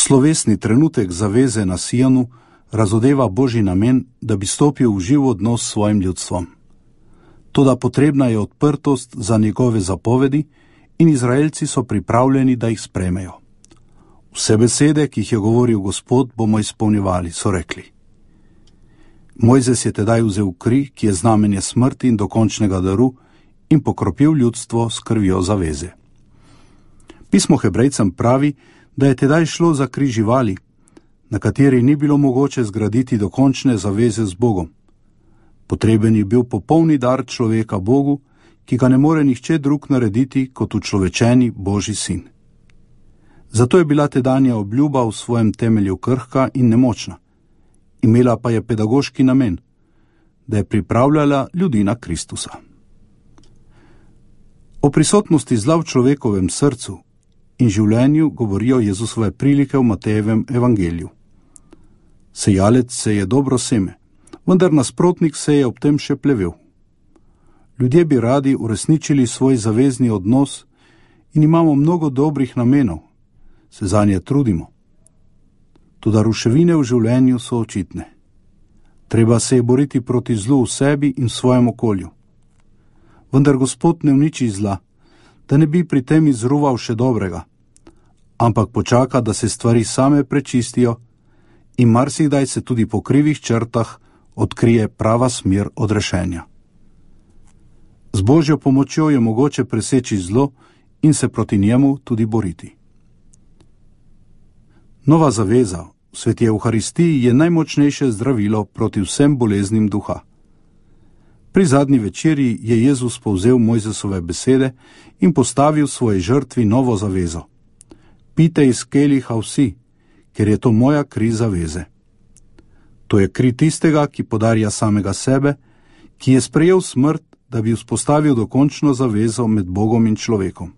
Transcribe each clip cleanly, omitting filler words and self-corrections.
Slovesni trenutek zaveze na Sijonu razodeva Božji namen, da bi stopil v živ odnos s svojim ljudstvom. Toda potrebna je odprtost za njegove zapovedi in Izraelci so pripravljeni, da jih sprejmejo. Vse besede, ki jih je govoril Gospod, bomo izpolnjevali, so rekli. Mojzes je tedaj vzel kri, ki je znamenje smrti in dokončnega daru, in pokropil ljudstvo s krvjo zaveze. Pismo Hebrejcem pravi, da je tedaj šlo za kri živali, na kateri ni bilo mogoče zgraditi dokončne zaveze z Bogom. Potreben je bil popolni dar človeka Bogu, ki ga ne more nihče drug narediti kot učlovečeni Božji sin. Zato je bila tedanja obljuba v svojem temelju krhka in nemočna. Imela pa je pedagoški namen, da je pripravljala ljudi na Kristusa. O prisotnosti zla v človekovem srcu in življenju govorijo Jezusove prilike v Matejevem evangeliju. Sejalec seje dobro seme, vendar nasprotnik seje ob tem še plevel. Ljudje bi radi uresničili svoj zavezni odnos in imamo mnogo dobrih namenov, se zanje trudimo. Toda ruševine v življenju so očitne. Treba se je boriti proti zlu v sebi in v svojem okolju. Vendar Gospod ne uniči zla, da ne bi pri tem izruval še dobrega, ampak počaka, da se stvari same prečistijo in marsikdaj se tudi po krivih črtah odkrije prava smer odrešenja. Z Božjo pomočjo je mogoče preseči zlo in se proti njemu tudi boriti. Nova zaveza v sveti Evharistiji je najmočnejše zdravilo proti vsem boleznim duha. Pri zadnji večerji je Jezus povzel Mojzesove besede in postavil svoji žrtvi novo zavezo. Pijte iz keliha vsi, ker je to moja kri zaveze. To je kri tistega, ki podarja samega sebe, ki je sprejel smrt, da bi vzpostavil dokončno zavezo med Bogom in človekom.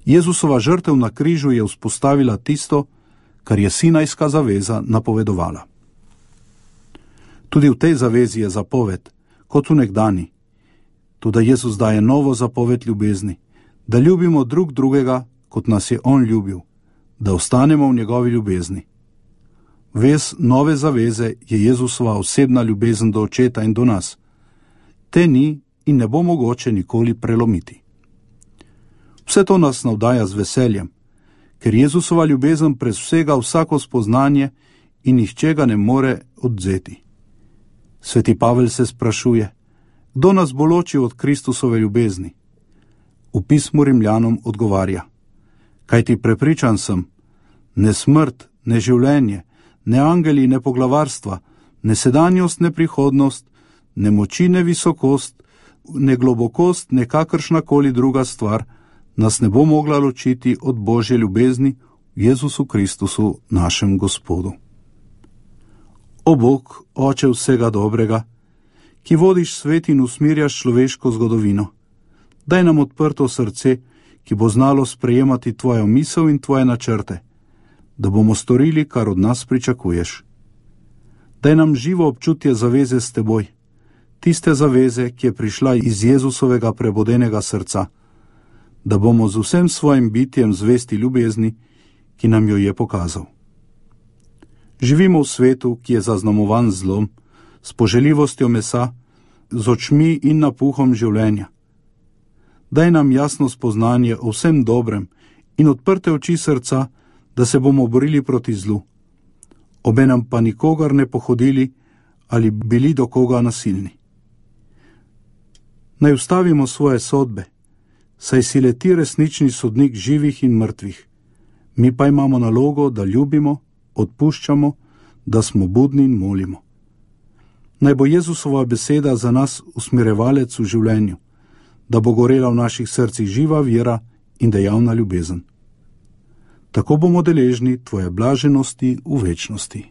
Jezusova žrtev na križu je vzpostavila tisto, kar je sinajska zaveza napovedovala. Tudi v tej zavezi je zapoved, kot v nekdani. Toda Jezus daje novo zapoved ljubezni, da ljubimo drug drugega, kot nas je On ljubil, da ostanemo v njegovi ljubezni. Vez nove zaveze je Jezusova osebna ljubezen do Očeta in do nas. Te ni in ne bo mogoče nikoli prelomiti. Vse to nas navdaja z veseljem, ker Jezusova ljubezen presega vsako spoznanje in nihče ga ne more odvzeti. Sveti Pavel se sprašuje, kdo nas bo ločil od Kristusove ljubezni? V pismu Rimljanom odgovarja, kajti prepričan sem, ne smrt, ne življenje, ne angeli, ne poglavarstva, ne sedanjost, ne prihodnost, ne moči, ne visokost, ne globokost, ne kakršnakoli druga stvar nas ne bo mogla ločiti od Božje ljubezni v Jezusu Kristusu, našem Gospodu. O Bog, Oče vsega dobrega, ki vodiš svet in usmirjaš človeško zgodovino, daj nam odprto srce, ki bo znalo sprejemati tvojo misel in tvoje načrte, da bomo storili, kar od nas pričakuješ. Daj nam živo občutje zaveze s teboj, tiste zaveze, ki je prišla iz Jezusovega prebodenega srca, da bomo z vsem svojim bitjem zvesti ljubezni, ki nam jo je pokazal. Živimo v svetu, ki je zaznamovan zlom, s poželjivostjo mesa, z očmi in napuhom življenja. Daj nam jasno spoznanje o vsem dobrem in odprte oči srca, da se bomo borili proti zlu, obenem pa nikogar ne pohodili ali bili do koga nasilni. Naj ustavimo svoje sodbe, saj si le ti resnični sodnik živih in mrtvih. Mi pa imamo nalogo, da ljubimo, odpuščamo, da smo budni in molimo. Naj bo Jezusova beseda za nas usmirevalec v življenju, da bo gorela v naših srcih živa vera in dejavna ljubezen. Tako bomo deležni tvoje blaženosti v večnosti.